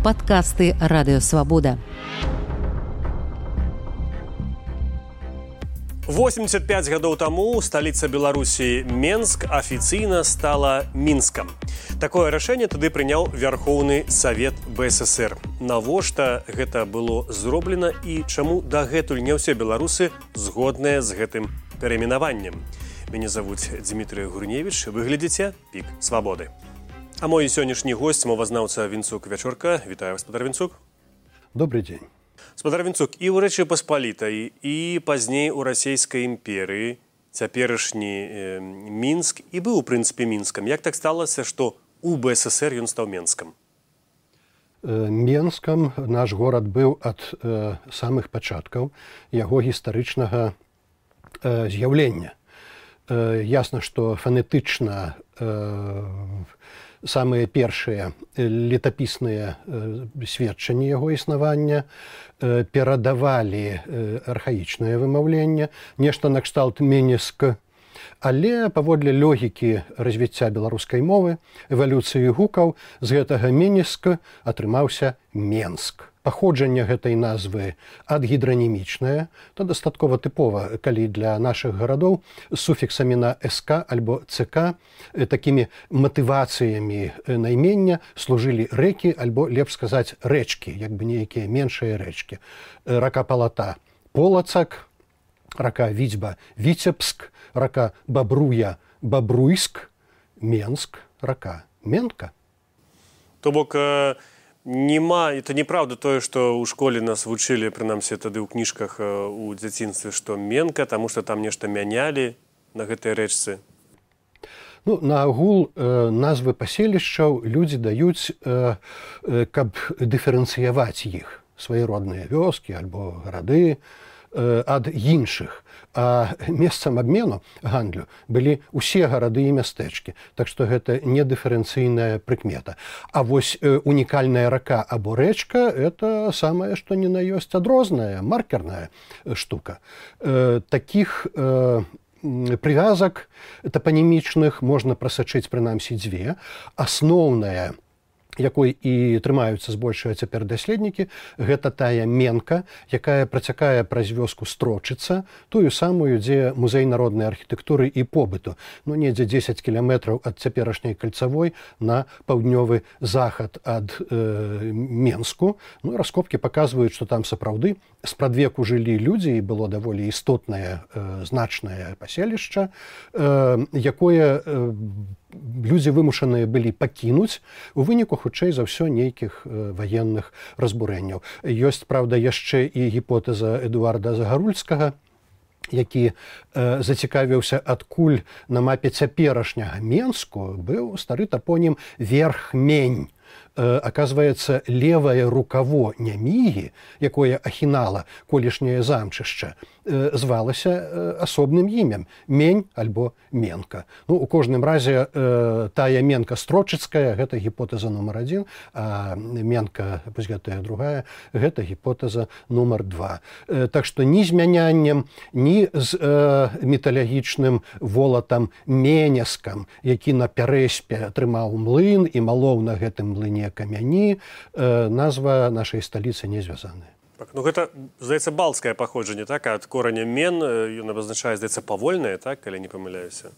Падкасты Радыёвабода. 85 гадоў таму сталіца Беларусі Менск афіцыйна стала Мінскам. Такое рашэнне тады прыняў Вярхоўны Савет БССР. Навошта гэта было зроблена і чаму дагэтуль не ўсе беларусы згодныя з гэтым перайменаваннем? Мяне завуць Дмітрый Гурневіч, вы глядзіце «Пік свабоды». А мой сённяшні госць, мовазнаўца Вінцук Вячорка. Вітаю, гаспадар Вінцук. Добрый дзень. Гаспадар Вінцук, і ў Рэчы Паспалітай, і пазней у расійскай імперыі цяперашні Мінск і быў, у прынцыпе, Мінскам. Як так сталася, што у БССР ён стаў Менскам? Менскам наш горад быў ад самых пачаткаў яго гістарычнага з'яўлення. Ясна, што фанетычна самыя першыя летапісныя сведчанні яго існавання перадавалі архаічнае вымаўленне, нешта накшталт Менеск, але паводле логікі развіцця беларускай мовы, эвалюцыі гукаў, з гэтага Менеск атрымаўся Менск. Паходжанне гэтай назвы адгідранімічнае, то дастаткова тыпова, калі для нашых гарадоў з суфіксамі на СК альбо ЦК такімі матывацыямі наймення служылі рэкі альбо, лепш сказаць, рэчкі, як бы нейкія меншыя рэчкі. Рака Палата – Полацак, рака Віцьба – Віцебск, рака Бабруя – Бабруйск, Менск, рака Менка. То бок, это неправда тое, што ў школе нас вучылі, прынамсі тады ў кніжках у дзяцінстве, што Менка, таму што там нешта мянялі на гэтай рэчцы. Наагул назвы паселішчаў людзі даюць, каб дыферэнцыяваць іх, свае родныя вёскі альбо гарады ад іншых. А месцам абмену гандлю былі ўсе гарады і мястэчкі, так што гэта не дыферэнцыйная прыкмета. А вось унікальная рака або рэчка – это самае, што ні на ёсць адрозная, маркерная штука. Такіх прывязак тапанімічных можна прасачыць прынамсі дзве. Асноўная, якой і трымаюцца збольшага цяпер даследнікі, гэта тая Менка, якая працякае праз вёску Строчыца, тую самую, дзе музей народнай архітэктуры і побыту. Недзе 10 кіламетраў ад цяперашняй кальцавой на паўднёвы захад ад Менску. Раскопкі паказваюць, што там сапраўды спрадвеку жылі людзі, і было даволі істотнае, значнае паселішча, якое людзі вымушаныя былі пакінуць у выніку, хутчэй за ўсё, нейкіх ваенных разбурэнняў. Ёсць, праўда, яшчэ і гіпотэза Эдуарда Загарульскага, які зацікавіўся, адкуль на мапе цяперашняга Менску быў стары тапонім Верхмень. Аказваецца, левае рукаво Нямігі, якое ахінала колішняе замчышча, звалася асобным імем – Мень альбо Менка. У кожным разе тая Менка Строчыцкая – гэта гіпотэза нумар 1, а Менка, вось гэтая другая, гэта гіпотэза нумар 2. Так што ні з мяняннем, ні з металагічным волатам Менескам, які на Пярэспе трымаў млын і малоў на гэтым млыне камяні, назва нашай сталіцы не звязаная. Гэта, здаецца, балцкае паходжанне, так? Ад кораня мен, ён абазначае, здаецца, павольнае, так? Калі не памыляюся.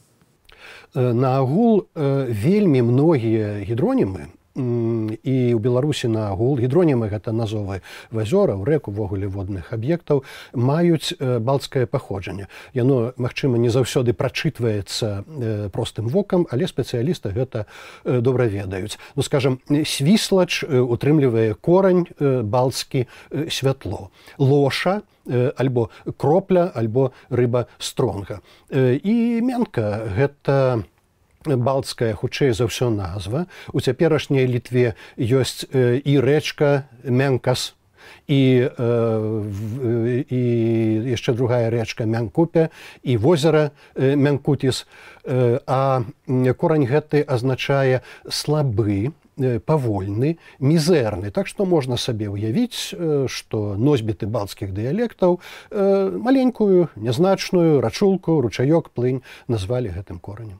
Наагул вельмі многія гідронімы, і ў Беларусі наагул, гідронімы гэта назовы азёраў, рэк, увогуле водных аб'ектаў, маюць балцкае паходжанне. Яно, магчыма, не заўсёды прачытваецца простым вокам, але спецыялісты гэта добра ведаюць. Скажам, свіслач утрымлівае корань балцкі святло. Лоша альбо кропля, альбо рыба стронга. І Менка гэта балцкая, хутчэй за ўсё, назва. У цяперашняй Літве ёсць і рэчка Менкас, і яшчэ другая рэчка Мянкупе, і возера Мянкутіс. А корань гэты азначае слабы, павольны, мізэрны. Так што можна сабе ўявіць, што носьбіты балцкіх дыялектаў маленькую, нязначную рачулку, ручаёк, плынь назвалі гэтым коранем.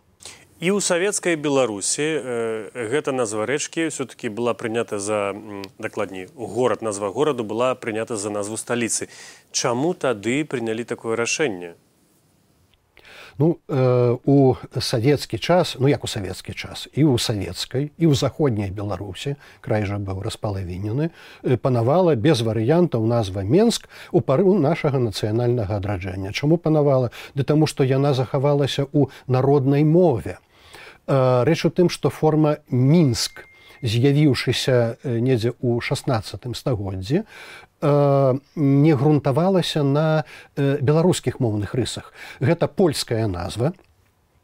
І ў савецкай Беларусі гэта назва рэчкі ўсё-такі была прынята за, дакладней, назва гораду была прынята за назву сталіцы. Чаму тады прынялі такое рашэнне? Ну, у савецкі час, ну як у савецкі час, і ў савецкай, і ў заходняй Беларусі, край жа быў распалавінены, панавала без варыянтаў назва Менск у пару нашага нацыянальнага адраджэння. Чаму панавала? Таму што яна захавалася ў народнай мове. Рэч у тым, што форма Мінск, з'явіўшыся недзе ў 16 стагоддзі, не грунтавалася на беларускіх моўных рысах. Гэта польская назва.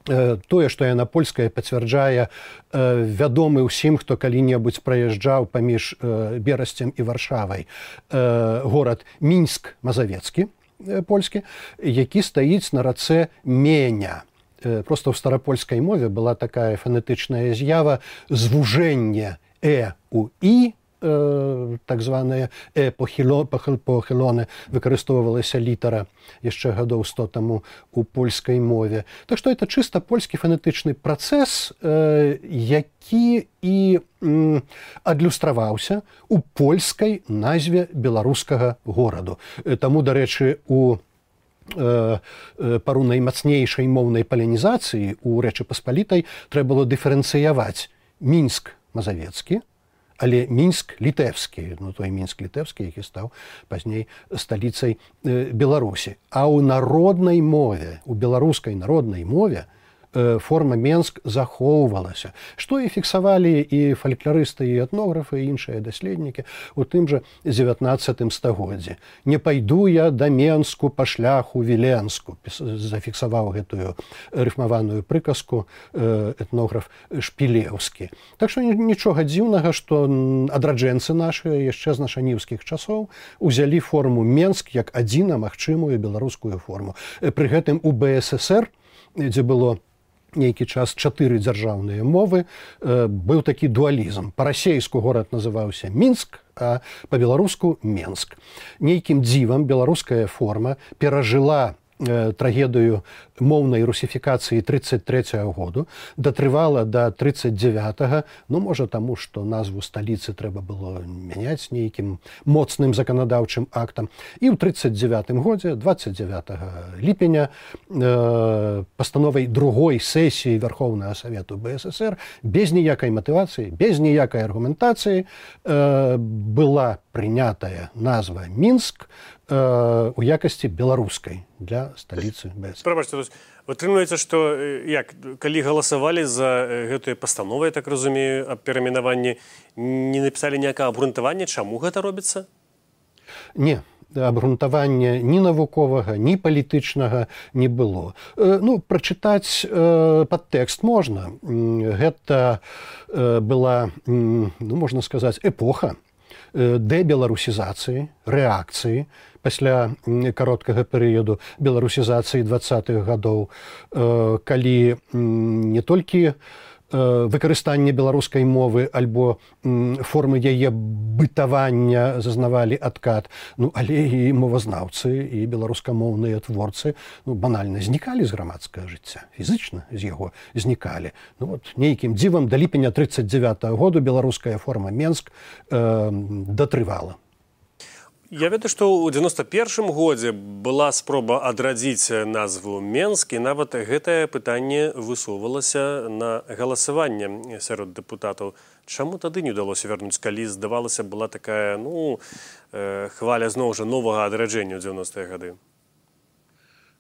Тое, што яна польская, пацвярджае вядомы ўсім, хто калі-небудзь праязджаў паміж Берасцем і Варшавай горад Мінск Мазавецкі, польскі, які стаіць на рацэ Меня. Просто ў старапольскай мове была такая фанетычная з'ява звужэнне у і, так званае похилоне, выкарыстоўвалася літара яшчэ гадоў 100 таму у польскай мове. Так што это чыста польскі фанетычны працэс, які і адлюстраваўся у польскай назве беларускага гораду. Таму, дарэчы, у пару наймацнейшай моўнай палянізацыі у Рэчы Паспалітай трэба было дыферэнцыяваць Мінск Мазавецкі, але Мінск літэўскі, ну той Мінск літэўскі, які стаў пазней сталіцай Беларусі. А ў народнай мове, у беларускай народнай мове форма Менск захоўвалася, што і фіксавалі і фалькларысты, і этнографы, і іншыя даследнікі у тым жа 19 стагоддзі. «Не пайду я да Менску па шляху Віленску», зафіксаваў гэтую рыфмаваную прыказку этнограф Шпілеўскі. Так што нічога дзіўнага, што адраджэнцы нашыя яшчэ з нашаніўскіх часоў узялі форму Менск як адзіна магчымую беларускую форму. Пры гэтым у БССР, дзе было нейкі час 4 дзяржаўныя мовы, быў такі дуалізм. Па-расейску горад называўся Мінск, а па-беларуску Менск. Нейкім дзівам беларуская форма перажыла трагедыю моўнай русіфікацыі 33-го году, датрывала да 39-го, ну, можа, таму, што назву сталіцы трэба было мяняць нейкім моцным заканадаўчым актам. І ў 39-м годзе, 29 ліпеня, пастановай другой сесіі Верховнага Савету БССР без ніякай матывацыі, без ніякай аргументацыі была прынятая назва Мінск у якасці беларускай для сталіцы БССР. Прабачце, атрымліваецца, што калі галасавалі за гэтую пастанову, я так разумею, аб перайменаванні, не напісалі ніякага абгрунтавання, чаму гэта робіцца? Не, абгрунтавання ні навуковага, ні палітычнага не было. Ну, прачытаць падтэкст можна. Гэта была, ну, можна сказаць, эпоха дэбеларусізацыі, рэакцыі пасля кароткага перыяду беларусізацыі 20-х гадоў, калі не толькі выкарыстанне беларускай мовы альбо формы яе бытавання зазнавалі адкат, ну, але і мовазнаўцы, і беларускамоўныя творцы банальна знікалі з грамадскага жыцця, фізычна з яго знікалі. Ну, вот, нейкім дзівам да ліпеня 39-го году беларуская форма Менск датрывала. Я ведаю, што ў 91-м годзе была спроба адрадзіць назву Менск, і нават гэтае пытанне высоўвалася на галасаванне сярод дэпутатаў. Чаму тады не ўдалося вярнуць, калі, здавалася, была такая, ну, хваля зноў жа новага адраджэння ў 90-е гады?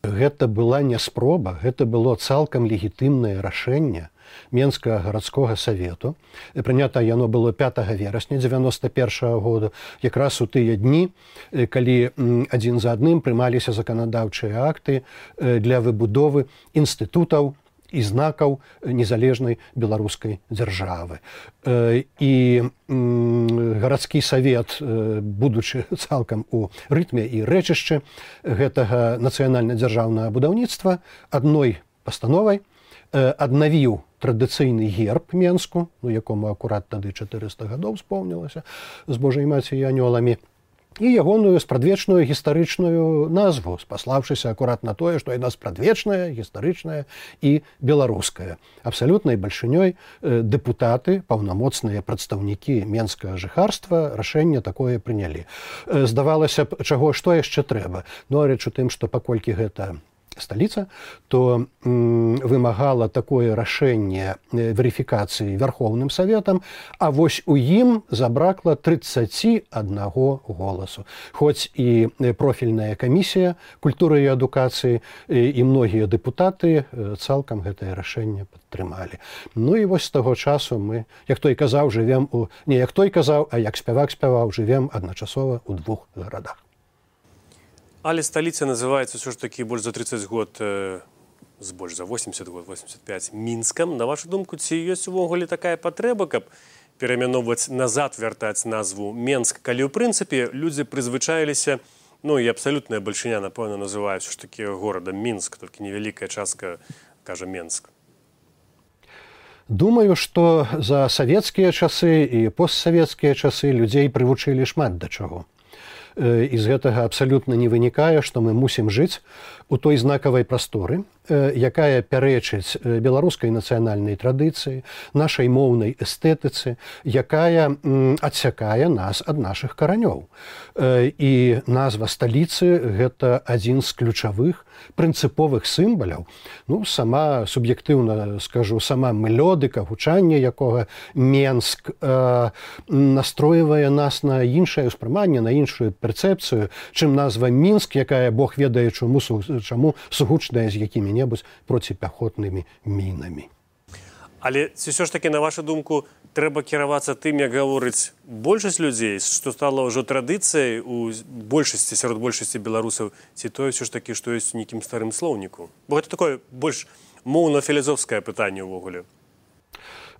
Гэта была не спроба, гэта было цалкам легітымнае рашэнне Менскага гарадскога савету. Прынята яно было 5 верасня 91-го году, якраз у тыя дні, калі адзін за адным прымаліся заканадаўчыя акты для выбудовы інстытутаў і знакаў незалежнай беларускай дзяржавы. І гарадскі савет, будучы цалкам у рытме і рэчышчы гэтага нацыянальна-дзяржаўнага будаўніцтва, адной пастановай аднавіў традыцыйны герб Менску, якому акурат тады 400 гадоў спомнілася з Божай маці і анёламі, і ягоную спрадвечную гістарычную назву, спаслаўшыся акурат на тое, што яна спрадвечная, гістарычная і беларуская. Абсалютнай бальшынёй дэпутаты, паўнамоцныя прадстаўнікі менскага жыхарства рашэнне такое прынялі. Здавалася б, чаго, што яшчэ трэба? Ну, рэч у тым, што паколькі гэта сталіца, то вымагала такое рашэнне верыфікацыі Вярхоўным Саветам, а вось у ім забракла 31 голасу. Хоць і профільная камісія культуры і адукацыі і многія дэпутаты цалкам гэтае рашэнне падтрымалі. Ну і вось з таго часу мы, як той казаў, жывем у... Не як той казаў, а як спявак спяваў, жывем адначасова ў 2 гарадах. Але сталіца называецца ўсё ж такі больш за 30 год, больш за 80 год, 85, Мінскам. На вашу думку, ці ёсць увогуле такая патрэба, каб пераймяноўваць назад, вяртаць назву Менск, калі ў прынцыпе людзі прызвычаіліся, ну і абсалютная бальшыня, напэўна, называе ўсё ж такі горадам Мінск, толькі невялікая частка кажа Менск. Думаю, што за савецкія часы і постсавецкія часы людзей прывучылі шмат да чаго. І з гэтага абсалютна не вынікае, што мы мусім жыць у той знакавай прасторы, якая пярэчыць беларускай нацыянальнай традыцыі, нашай моўнай эстэтыцы, якая адсякае нас ад нашых каранёў. І назва сталіцы – гэта адзін з ключавых прынцыповых сімваляў. Ну, сама, суб'ектыўна скажу, сама мелодыка, гучанне якога Менск настройвае нас на іншае ўспрыманне, на іншую перцэпцыю, чым назва Мінск, якая Бог ведае чаму сугучная з якімі-небудзь проціпяхотнымі мінамі. Але ці ўсё ж такі, на вашу думку, трэба кіравацца тым, як гаворыць большасць людзей, што стала ўжо традыцыяй у большасці, сярод большасці беларусаў, ці тое ўсё ж такі, што ёсць у нейкім старым слоўніку? Бо гэта такое больш моўна-філізофскае пытанне ўвогуле.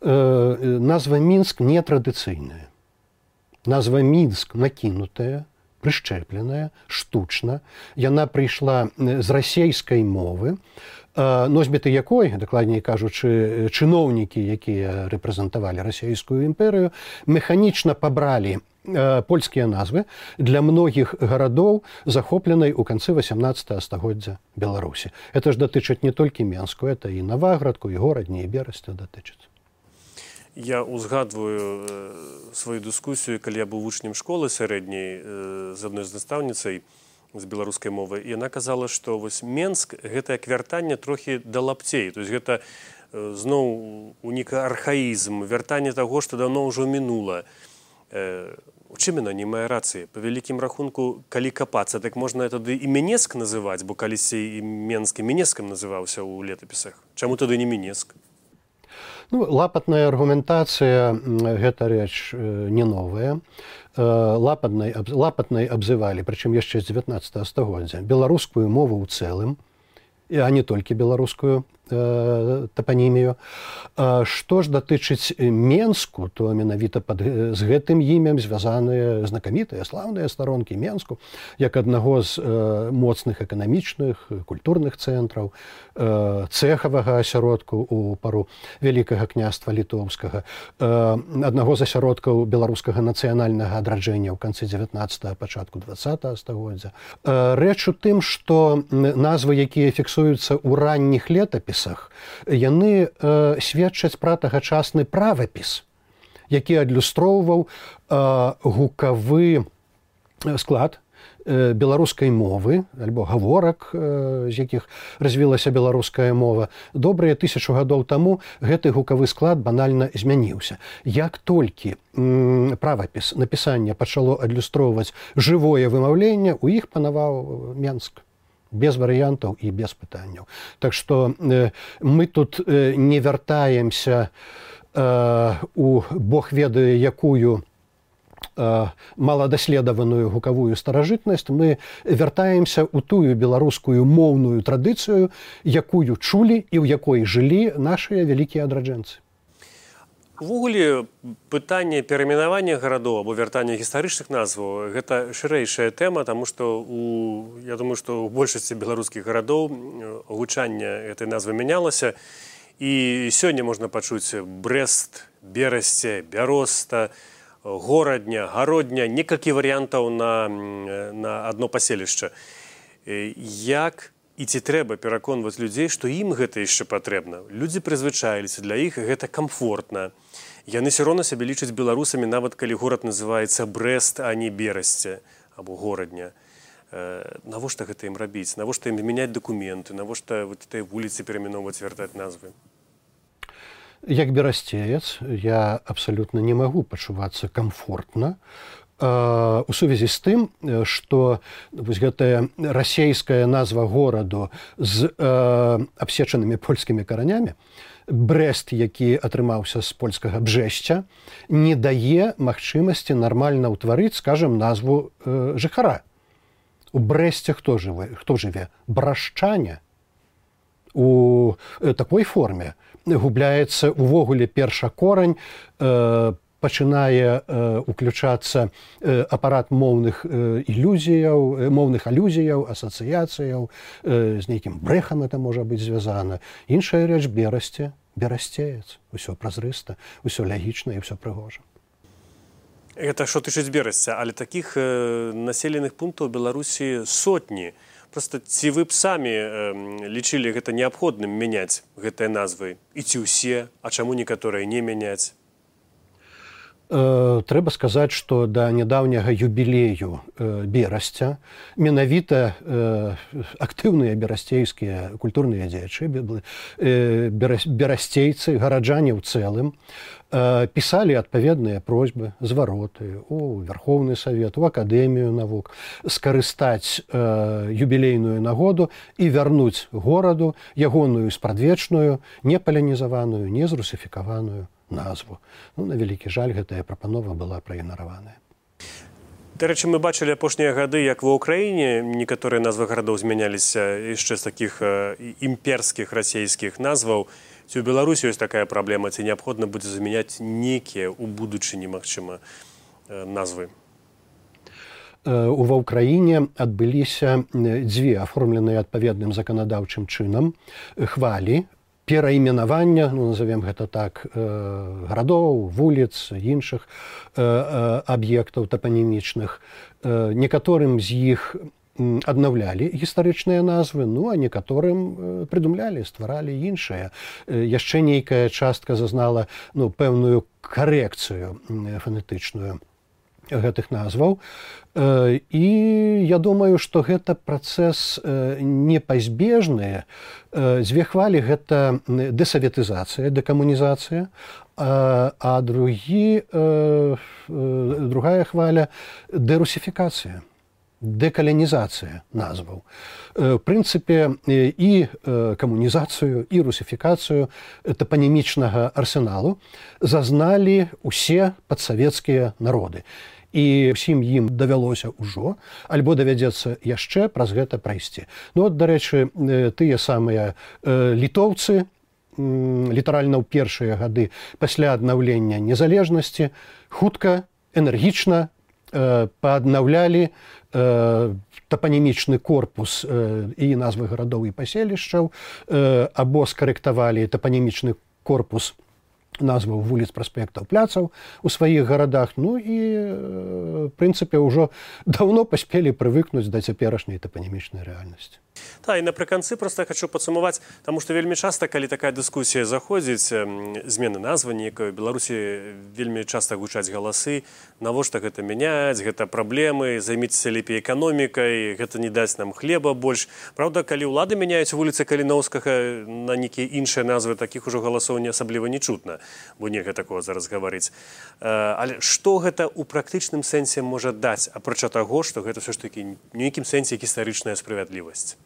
Назва Мінск не традыцыйная. Назва Мінск накінутая, прышчэпленая, штучна. Яна прыйшла з расейскай мовы, носьбіты якой, дакладней кажучы, чыноўнікі, якія рэпрэзентавалі расійскую імперыю, механічна пабралі польскія назвы для многіх гарадоў, захопленай у канцы 18 стагоддзя Беларусі. Это ж датычыць не толькі Менску, это і Наваградку, і Горадні, і Берасця датычыць. Я узгадваю сваю дыскусію, калі я быў вучнем школы сярэдняй з адной з настаўніцай з беларускай мовы. І яна казала, што вось Менск – гэта як вяртанне трохі да лапцей. То есть гэта зноў унік архаізм, вяртанне таго, што даўно ўжо мінула. У чым яна не мае рацыі? Па вялікім рахунку, калі капацца, так можна тады і Менеск называць, бо калісьці і Менск і Менескам называўся ў летапісах. Чаму тады не Менеск? Ну, лапатная аргументацыя – гэта рэч не новая. Лапатнай абзывалі, прычым яшчэ з 19 стагоддзя, беларускую мову ў цэлым, а не толькі беларускую тапанімію. Што ж датычыць Менску, то менавіта з гэтым імем звязаныя знакамітыя, слаўныя старонкі Менску, як аднаго з моцных эканамічных, культурных цэнтраў, цэхавага асяродку ў пару Вялікага княства літоўскага, аднаго з асяродкаў беларускага нацыянальнага адраджэння ў канцы 19-го, пачатку 20-го стагоддзя. Рэч у тым, што назвы, якія фіксуюцца ў ранніх летапісах, яны сведчаць пра тагачасны правапіс, які адлюстроўваў гукавы склад беларускай мовы, альбо гаворак, з якіх развілася беларуская мова. Добрыя 1000 гадоў таму гэты гукавы склад банальна змяніўся. Як толькі правапіс напісання пачало адлюстроўваць жывое вымаўленне, у іх панаваў Менск. Без варыянтаў і без пытанняў. Так што мы тут не вяртаемся у Бог ведае якую маладаследаваную гукавую старажытнасць, мы вяртаемся ў тую беларускую моўную традыцыю, якую чулі і ў якой жылі нашыя вялікія адраджэнцы. Увогуле, пытанне перайменавання гарадоў або вяртання гістарычных назваў – гэта шырэйшая тэма, таму што я думаю, што ў большасці беларускіх гарадоў гучанне гэтай назвы мянялася. І сёння можна пачуць Брэст, Берасце, Бяроста, горадня, гародня, некалькі варыянтаў на адно паселішча. Як і ці трэба пераконваць людзей, што ім гэта яшчэ патрэбна? Людзі прызвычаіліся, для іх гэта камфортна. Яны все роўна сябе лічаць беларусамі, нават калі горад называецца Брэст, а не Берасце або горадня. Навошта гэта ім рабіць? Навошта ім мяняць дакументы? Навошта этой вуліцы перайменоўваць, вяртаць назвы? Як берасцеец я абсалютна не магу пачувацца камфортна у сувязі з тым, што гэтая расейская назва гораду з абсечанымі польскімі каранямі, Брэст, які атрымаўся з польскага Бжэсця, не дае магчымасці нармальна ўтварыць, скажам, назву жыхара. У Брэсце хто жыве? Брашчане. У такой форме губляецца увогуле першакорань, пачынае уключацца апарат моўных алюзіяў, асацыяцыяў, з нейкім брэхам это можа быць звязана. Іншая рэч берасцеец. Усё празрыста, усё лягічна і ўсё прыгожа. Гэта што тычыць Берасця, але такіх населеных пунктаў у Беларусі сотні. Просто ці вы б самі лічылі гэта неабходным мяняць гэтыя назвы? І ці ўсе, а чаму некаторыя не мяняць? Трэба сказаць, што да нядаўняга юбілею Берасця менавіта актыўныя берасцейскія культурныя дзеячы, берасцейцы, гараджане ў цэлым, пісалі адпаведныя просьбы, звароты у Верховны Савет, у Акадэмію навук, скарыстаць юбілейную нагоду і вярнуць гораду ягоную спрадвечную, не палянізаваную, не зрусіфікаваную назву. На вялікі жаль, гэтая прапанова была праігнараваная. Дарэчы, мы бачылі апошнія гады, як ва ўкраіне некаторыя назвы гарадоў змяняліся яшчэ з такіх імперскіх расейскіх назваў. Ці ў Беларусі ёсць такая праблема, ці неабходна будзе замяняць нейкія ў будучыні, магчыма, назвы? Ва ўкраіне адбыліся дзве аформленыя адпаведным заканадаўчым чынам хвалі перайменавання, назовем гэта так, гарадоў, вуліц, іншых аб'ектаў тапанімічных. Некаторым з іх аднаўлялі гістарычныя назвы, а некаторым прыдумлялі, стваралі іншыя. Яшчэ нейкая частка зазнала пэўную карэкцыю фанетычную гэтых назваў. І я думаю, што гэта працэс непазбежны. Дзве хвалі гэта дэсаветызацыя, дэкамунізацыя, а другая хваля дэрусіфікацыя. Дэкалянізацыя назваў. В прынцыпе, і камунізацыю, і русіфікацыю тапанімічнага арсеналу зазналі ўсе падсавецкія народы. І ўсім ім давялося ўжо, альбо давядзецца яшчэ праз гэта прайсці. Дарэчы, тыя самыя літоўцы, літаральна ў першыя гады пасля аднаўлення незалежнасці, хутка, энергічна пааднаўлялі тапанімічны корпус і назвы гарадоў і паселішчаў, або скарэктавалі тапанімічны корпус назваў вуліц, праспектаў, пляцаў у сваіх гарадах, і, в прынцыпе, ўжо даўно паспелі прывыкнуць да цяперашняй тапанімічнай рэальнасці. І напрыканцы проста хочу падсумаваць, таму што вельмі часта, калі такая дыскусія заходзіць, змены назвы нейкай, у Беларусі вельмі часта гучаць галасы, навошта гэта мяняць, гэта праблемы, займіцеся лепей эканомікай, гэта не дасць нам хлеба больш. Праўда, калі ўлады мяняюць вуліцы Каліноўскага на нейкія іншыя назвы, такіх ужо галасоў не асабліва не чутна, бо нельга такога зараз гаварыць. Але што гэта ў практычным сэнсе можа даць, апрача таго, што гэта ўсё ж такі ў нейкім сэнсе гістарычная справядлівасць?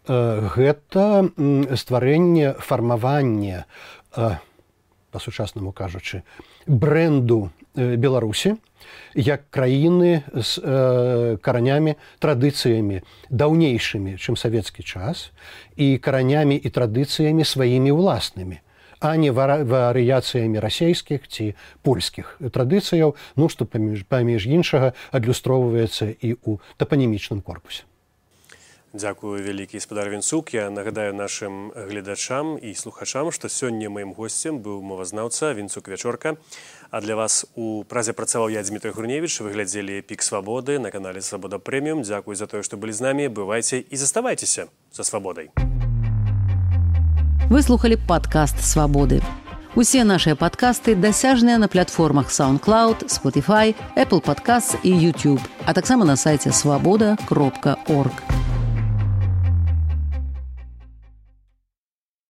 Гэта стварэнне, фармаванне, па-сучаснаму кажучы, брэнду Беларусі як краіны з каранямі, традыцыямі даўнейшымі, чым савецкі час, і каранямі і традыцыямі сваімі ўласнымі, а не варыяцыямі расейскіх ці польскіх традыцыяў, што паміж іншага адлюстроўваецца і ў тапанімічным корпусе. Дзякую вялікі спадар Вінцук. Я нагадаю нашым гледачам і слухачам, што сёння маім госцем быў мовазнаўца Вінцук Вячорка. А для вас у празе працаваў я, Дмітрий Гурневіч. Вы глядзелі «Пік свабоды» на канале «Свабода Прэміум». Дзякую за тое, што былі з намі. Бывайце і заставайцеся за свабодай. Вы слухалі падкаст «Свабоды». Усе нашыя падкасты дасяжныя на платформах SoundCloud, Spotify, Apple Podcasts і YouTube, а таксама на сайце swaboda.org.